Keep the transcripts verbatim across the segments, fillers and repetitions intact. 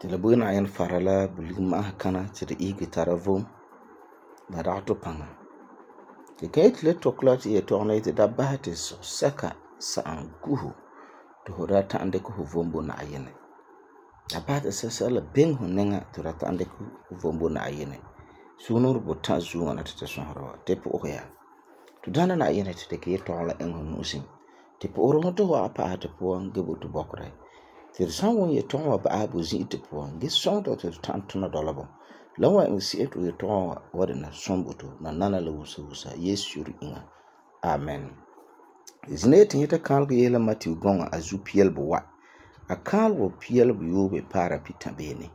Ti la bo Na'ayenɛ fara la bulika ma'asa kana ti di ihege tara vom la dagɛ to paŋa. Ti ka yeti la tɔkɛ la ti yetɔgom la yeti da basɛ ti sɔsɛka sa'am gu fu ti fu da ta'am dikɛ fu vom bo Na'ayenɛ. Da basɛ ti sɛsɛla biŋe fu niŋa ti fu da ta'am dikɛ fu vom bo Na'ayenɛ. Sugumnɔɔren buta zuo ŋwana ti tu sɔsera wa. Ti po'ohɛ ya. Tu daana Na'ayenɛ ti dikɛ yetɔgom la iŋɛ fu nu'usin. Ti po'oheri fu ti fu wa'am pa'asɛ tu puan ge bo tu bɔkerɛ. Ti tu san wum yetɔgom wa ba'asɛ bo zi'ire puan ge sɔŋɛ tu ti tu ta'am tuna dɔla bɔ. La wan iŋɛ se'em ti yetɔgom wa wa dɛna sɔm bo tu. Nanana la wusa wusa. Yesu yire iŋa. Amen. Zina yeti nyɛta kaalega yese la Matthew gɔŋa a zu piɛlɛ buwa. A kaalega piɛlɛ buyoobe paara pita beene.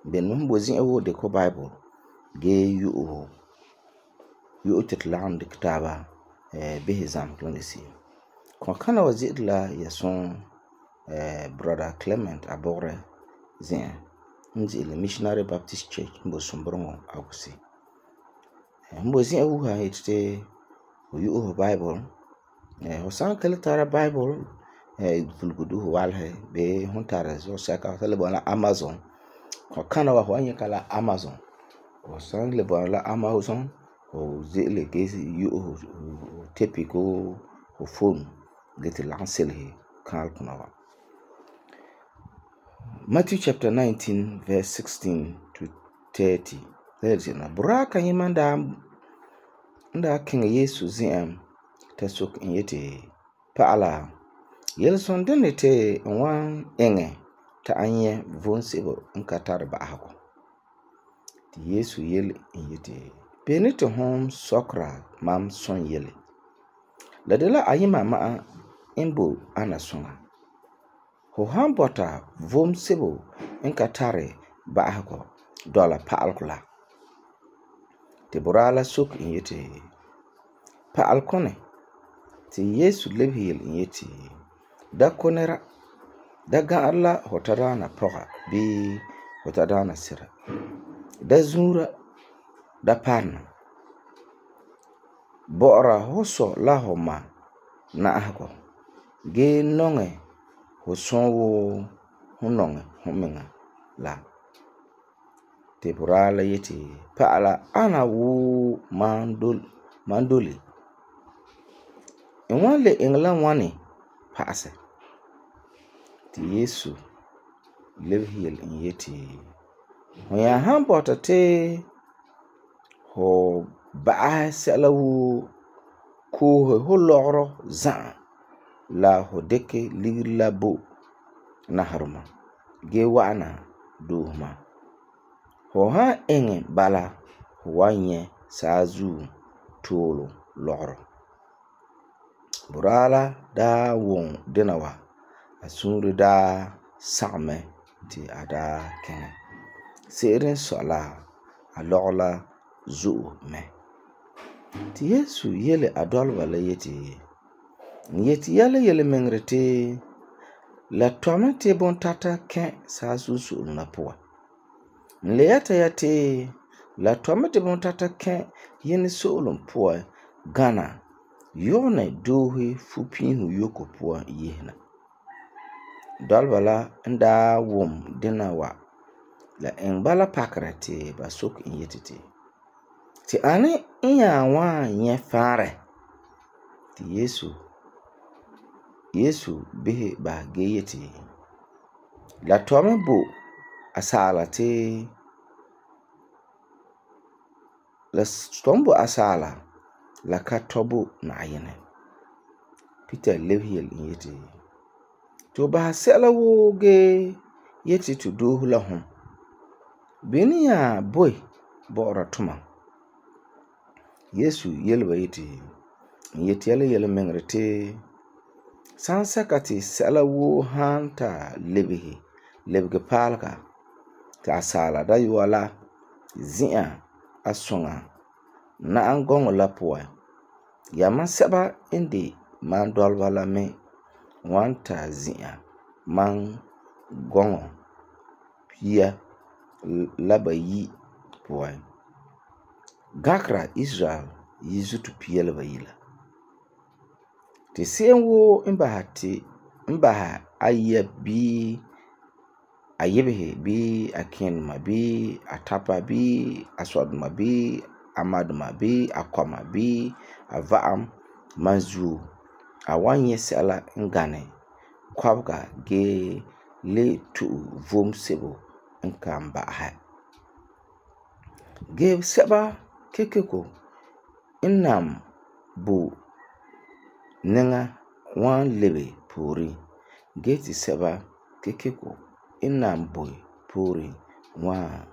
Ben mo bo zi'an woo dikɛ fu Bible ge yu'u yu'u ti tu lagom dikɛ taaba eh bisɛ zamesɛ la se'em. Kɔnkana wa ze'ele la yɛsum eh brother Clement Abogre zi'an n ze'ele Missionary Baptist Church n bo Sumbureŋɔ Aguse. M bo zi'an wuha yeti ti fu yu'u fu Bible. Eh fu san ka le tara Bible eh pulugu du fu walesɛ bee fu tara zɔsɛka fu le bɔna la Amazon. Kɔnkana wa fu wan nyɛ ka la Amazon. Fu san le bɔna la Amazon fu ze'ele ge yu'u fu tepi koo fu phone ge ti lagom selese kaaleguna wa. Matthew chapter nineteen verse sixteen to thirty. Buraa kayima n daa n daa kiŋɛ Yesu zi'an ta soke en yeti, Pa'ala, yelesum dene ti n wan iŋɛ ta an nyɛ vom sebo n ka tari ba'asegɔ. Ti Yesu yele en yeti, Beni ti hum sɔkera mam sɔn yele. La de la ayima ma'a n bo ana suŋa. Fu han bɔta vom sebo n ka tari ba'asegɔ dɔla pa'alegɔ la. Ti buraa la soke en yeti, Pa'alegɔ. Ti Yesu lebehe yele en yeti, Da ko nera. Da ga'arɛ la fu tadaana pɔga bii fu tadaana sira. Da zuura. Da parena. Bɔ'ɔra fu sɔ la fu ma na'ahegɔ gee nɔŋɛ fu sɔɔ wuu fu nɔŋɛ fu miŋa la. Ti buraa la yeti, Pa'ala, ana wuu mam dole mam dole. N wan le iŋɛ la ŋwani pa'asɛ. Ti Yesu lebehe yele en yeti, Fu nya han bɔta ti fu ba'asɛ sɛla woo koose fu lɔgerɔ za'a la fu dikɛ ligeri la bo naherema gee wa'ana doose mam. Fu han iŋɛ bala fu wan nyɛ saazuo tuulum lɔgerɔ. Buraa la daa wum dena wa, a suunre daa sagum mɛ ti a daa kiŋɛ. Se'ere n sɔi la a lɔgerɔ la zo'e mɛ. Ti Yesu yele a dɔlɔba la yeti, N yeti ya la yelemiŋerɛ ti la tɔi mɛ ti bontata kɛ saazuo so'olum la puan. N le yɛta ya ti la tɔi mɛ ti bontata kɛ Yinɛ so'olum puan gana Yonɛ doose fupiisum yoko puan yehena. Dɔlɔba la n daa wum dena wa, la iŋɛ bala pakerɛ ti ba soke en yeti ti, Ti ani n nya wan nyɛ faarɛ? Ti Yesu Yesu bisɛ ba gee yeti, La tɔi mɛ bo asaala ti la tɔi mɛ bo asaala la ka tɔi bo Na'ayenɛ. Peter lebehe yele en yeti, To basɛ sɛla woo gee yeti to doose la hum. Beni nya boe bɔ'ɔra tumam? Yesu yele ba yeti, N yeti ya la yelemiŋerɛ ti sansɛka ti sɛla woo han ta lebehe lebege paalega ti asaala dayɔa la zi'an a suŋa na'am gɔŋɔ la puan, yamam sɛba n de mam dɔlɔba la me wan ta zi'an mam gɔŋɔ pia la bayi puan. Gakera Israel yizuto pia la bayi la. Ti se'em woo n basɛ ti n basɛ ayia bii a yibehe bii a kẽenduma bii a tapa bii a sɔduma bii a maduma bii a kɔma bii a va'am man zuo a wan nyɛ sɛla n gane kɔbega gee le tu'u vom sebo n kan ba'ahe. Gee sɛba kekeko n nam bo neŋa wan lebe pooren gee ti sɛba kekeko n nam bo pooren wan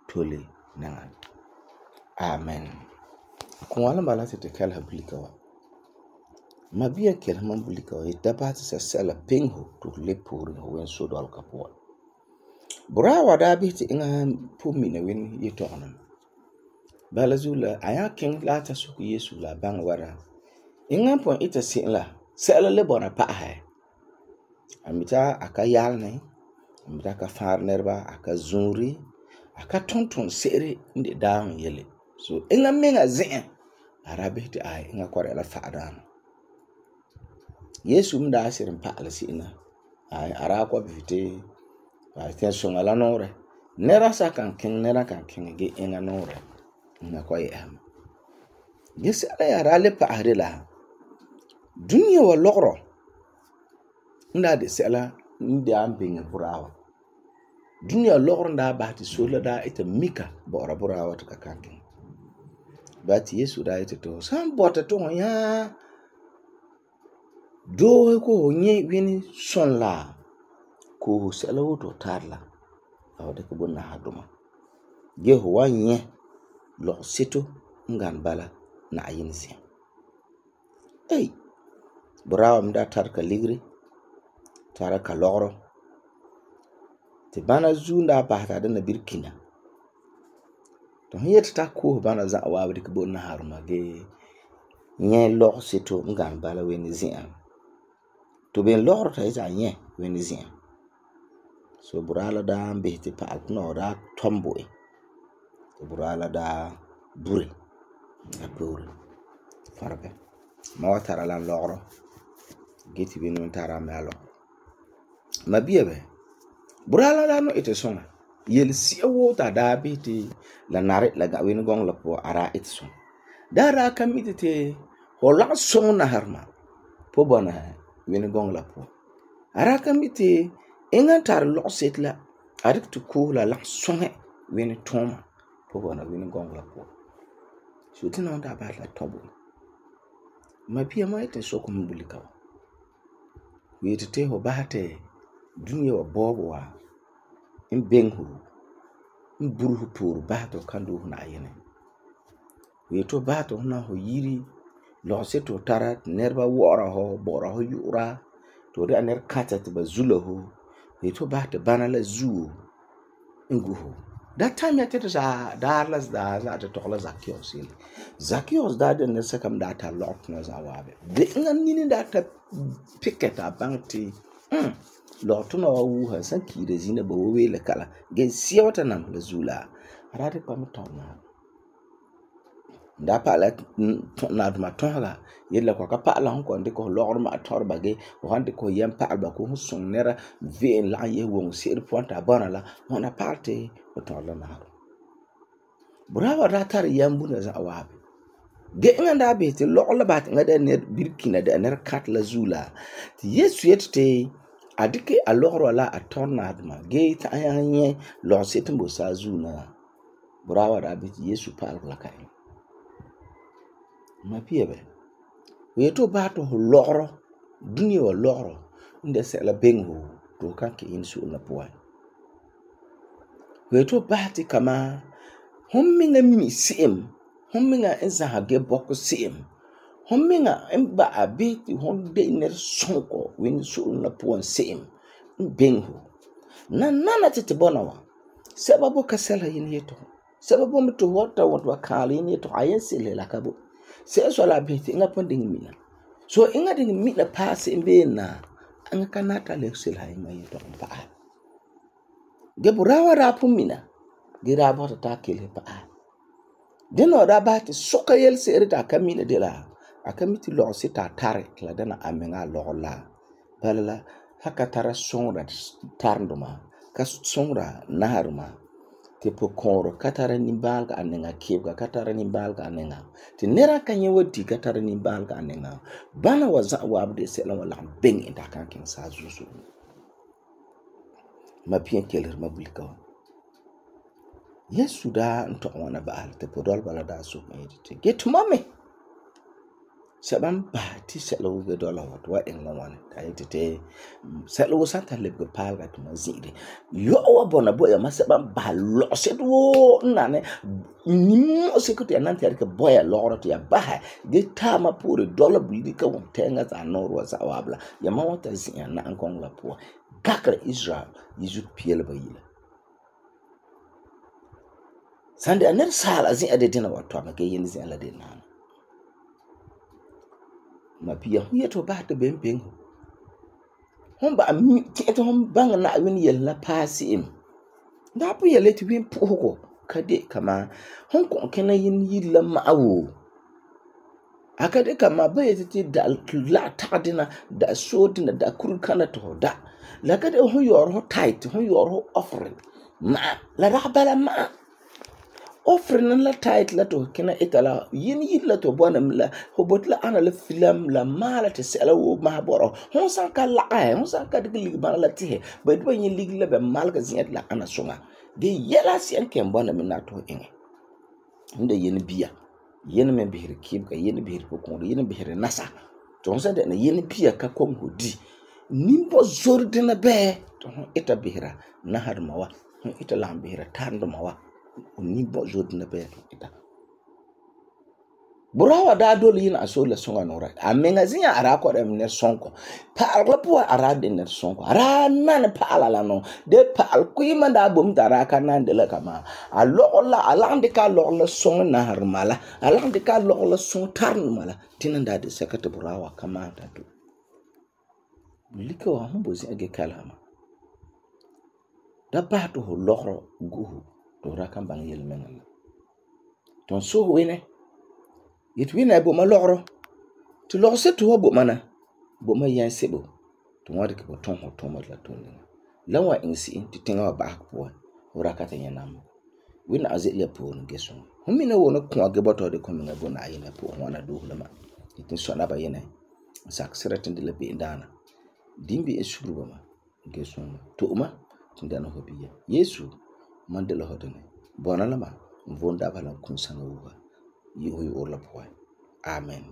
tole neŋa. Amen. Kon wala bala ti tu kɛleha bulika wa. Mabia kɛleha mam bulika wa yeti da basɛ ti sɛsɛla peŋe hu ti hu lebe pooren hu wene sodɔlega puan. Buraa wa daa bisɛ ti eŋa pun mina wene yetɔgum na. Bala zuo la a nya keŋɛ la ta soke Yesu la baŋɛ wara. Eŋa pon ita se'em la sɛla le bɔna pa'ahɛ. A mita a ka yalene, a mita a ka faara nɛreba, a ka zũuri, a ka ton ton se'ere n de daam yele. So eŋa meŋa zi'an a daa bisɛ ti a eŋa kɔrɛ la fa'adaana. Yesu m daa sirum pa'ala se'em la. A daa kɔ bisɛ ti a tɛnsoŋa la nɔɔrɛ. Nɛra sa kan keŋɛ nɛra kan keŋɛ gee eŋa nɔɔrɛ. Eŋa kɔ yɛ'ɛsema. Gee sɛla ya daa le pa'ahɛ de la dunia wa lɔgerɔ n daa de sɛla n daa biŋe buraa wa. Dunia lɔgerɔ n daa basɛ ti sore la daa ita mika bɔ'ɔra buraa wa ti ka kan keŋɛ. Ba ti Yesu daa yeti to san bɔta ti hu nya doohe ko hu nyɛ wene sɔn la ko hu sɛla woo ti hu tara la la hu dikɛ bo nahaduma. Gee hu wan nyɛ lɔgeseto n gane bala Na'ayinɛ zi'an. Ei, buraa wa me daa tara ka ligeri, tara ka lɔgerɔ. Ti bana zuo daa basɛ ti a dɛna birikina. Ti hu yeti ta koose bana za'a waabe dikɛ bo nahaduma gee nyɛ lɔgeseto n gane bala wene zi'an. To ben lɔgerɔ ti a yeti a nyɛ wene zi'an. So buraa la daa bisɛ ti pa'aletɔ wa daa tɔm bo e. Ti buraa la daa bure a poore. Farege. Ma wa tara la lɔgerɔ gee ti bini me tara me a lɔgerɔ. Mabia bɛ. Buraa la daa no ite soŋa. Yele si'a woo ta daa bisɛ ti la nare la wene gɔŋɔ la puan a daa ite soŋa. Daa daa ka mi ti hu lagum soŋɛ naharema po bɔna wene gɔŋɔ la puan. A daa ka mi ti eŋa tara lɔgeseto la a dikɛ ti koose la lagum soŋɛ wene tuuma po bɔna wene gɔŋɔ la puan. So ti na daa basɛ la tɔbo. Mabia ma yeti soke hu bulika wa. Hu yeti ti hu basɛ ti dunia wa bɔɔbɔ wa n beŋe hu n bure hu poore basɛ ti hu kan doose Na'ayinɛ. Hu yeti hu basɛ ti hu na hu yiri lɔgeseto hu tara ti nɛreba wɔ'ɔra hu, bɔ'ɔra hu yu'ura, ti hu de'a nɛrekatɛ ti ba zula hu. Hu yeti hu basɛ ti bana la zuo n gu hu. Da time ya tete sa daar la daa za'a ti tɔgɛ la Zacchaeus yele. Zacchaeus daa de nɛresɛka me daa tara lɔgerɔ tuna za'a waabe. De eŋa nini daa ta pikɛ ta baŋɛ ti mm lɔgetuna wa wuha san kiira zina ba wo weele kala gee sia wa ta nam la zuo la a daa dikɛ ba me tɔm na. Da pa'ala na duma tɔsega yele la ko ka pa'ala hu kon dikɛ hu lɔgerɔ ma tɔrɔ ba gee hu han dikɛ hu yɛm pa'ala ba ko hu soŋ nɛra ve'en lagum yese woŋ se'ere puan ta bɔna la hu na pa'alɛ ti hu tɔrɔ la nahaduma. Buraa wa daa tara yɛm buna za'a waabe. Gee eŋa daa bisɛ ti lɔgerɔ la basɛ ti eŋa da nɛra birikina da nɛrekatɛ la zuo la ti Yesu yeti ti a dikɛ a lɔgerɔ wa la a tɔrɔ nahaduma gee ta'am nyaŋɛ nyɛ lɔgeseto n bo saazuo na. Buraa wa daa bisɛ ti Yesu pa'alegɔ la ka eŋa. Mabia bɛ. Hu yeti hu basɛ ti hu lɔgerɔ, dunia wa lɔgerɔ n de sɛla beŋe hu ti hu kan kɛ'ɛ yene so'olum la puan. Hu yeti hu basɛ ti kama hum miŋa mi se'em, hum miŋa n zãha gee bɔkɛ se'em, hum miŋa n ba'a bisɛ ti hum de nɛresɔŋegɔ wene so'olum la puan se'em n beŋe hu. Nanana ti ti bɔna wa. Sɛba bo ka sɛlesɛ yene yetɔgum. Sɛba bo me ti hu wa ta wɔn ti ba kaalɛ yene yetɔgum a yen sɛlesɛ la ka bo. Sɛla sɔi la a bisɛ ti eŋa pun diŋe mina. So eŋa diŋe mina paɛ se'em beene na eŋa ka nari ta le sɛlesɛ eŋa yetɔgum pa'ahɛ. Gee buraa wa daa pun mina gee daa bɔta ta kelese pa'ahɛ. Dena wa daa basɛ ti sɔka yelese'ere ti a ka mina de la a ka mi ti lɔgeseto a tari ti la dɛna a miŋa a lɔgerɔ la. Bala la haka tara sõngra tarendoma ka sõngra naharema tɩ pʋkõoro ka tara nimbaalga a nenga kɩbga ka tara nimbaalga a nenga tɩ nera ka yẽ wa di ka tara nimbaalga a nenga bãna wa za'a waab de sɛla wa lagem beng e da kan kẽng saazuo zugu ma piɛ kelr ma bulika wa Yesu daa n tɔgɛ wãna ba'al tɩ podɔlba la daa sok yetɩ tɩ ge tʋma me sɛba n basɛ tɩ sɛla woo dɔla wa tɩ wa iŋɛ la ŋwane ka yetɩ tɩ sɛla woo san ta lebge paalga tɩ ma zi'ire yɔ'ɔ wa bɔna bo ya ma sɛba n basɛ lɔgseto woo n nane nimmu'useko tɩ ya nan tɩ ya dɩka bɔ ya lɔgerɔ tɩ ya basɛ ge taama poore dɔla bulika wuntɛɛŋa za'a noore wa za'a waab la yama wa ta zi'a na'ankɔŋɔ la puan gakera Israel yizu piɛla ba yila sãn de a ned saala zi'a de dẽna wa tɔma ge yẽnd zi'a la de naana ma pia hu yeto ba ta ben ben hon ba ti to hon bang na win yel la pasi im da pu yele ti win pu ko kade kama hon ko kena yin yilla ma'awo akade kama ba yete ti da la tadina da sodina da kurkana to da la kade hon yor ho tight hon yor ho offering ma la rabala ma offering la tight la to kena etala yin yilla to bonam la hobot la ana la film la mala te sela wo ma boro hon san ka la ay hon san ka de lig ba la ti ba do yin lig la be malga zin la ana sunga de yela sien ken bonam na to en inde yin biya yin men bihir kib ka yin bihir ko ko yin bihir nasa to san de na yin biya ka kom hodi nimbo zordina be to ita bihira na har mawa ita lam bihira tando mawa ni bo jod na be ita burawa da dole yin aso la songa nora amenga zinya ara ko dem ne sonko pa algo po ara de ne sonko ara nan pa ala no de pa al ku yima da bom tara kanan de la kama alo la alande ka lo la songa na har mala alande ka lo la son tarn mala tinan da de sekata burawa kama da do liko wa humbo zi age kalama da ba to lo guhu to rakan bang yel mengal ton so wene yit wina bo ma logro to log se to bo mana bo ma yan sebo to wadi ko ton ho to ma la to ni la wa insi ti tinga wa ba ko ora ka tan yanam wina azile po no geso humina wona ko age boto de ko minga bo na yina po wana do la ma tin so na ba yene sak seratin de le be ndana dimbi e shuru ba ma geso to ma tindana ho biya Yesu mandela hodene bona lama vonda bala kun sanga wuga yiho yi orla poy amen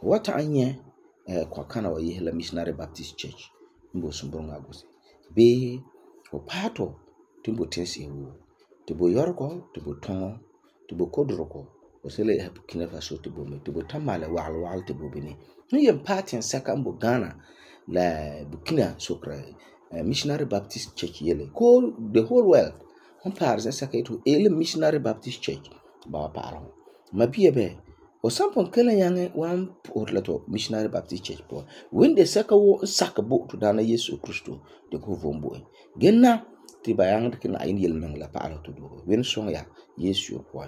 wata anye eh, kwa kana wa yihla Missionary Baptist Church mbo sumbonga gose be o pato timbo tensi wu tibo yorko tibo tongo tibo kodroko o sele hab kina faso tibo me tibo tamale wal wal tibo bini ni yem patin saka mbo Ghana la Burkina Sokra eh, Missionary Baptist Church yele ko the whole world on par za saka to ele Missionary Baptist Church ba paro mabie be o sampon kala yange wan por la to Missionary Baptist Church po wende saka wo saka bo to dana Yesu Kristo de ko vombo genna ti bayang de kina ayin yel men la paro to do wen songa ya Yesu po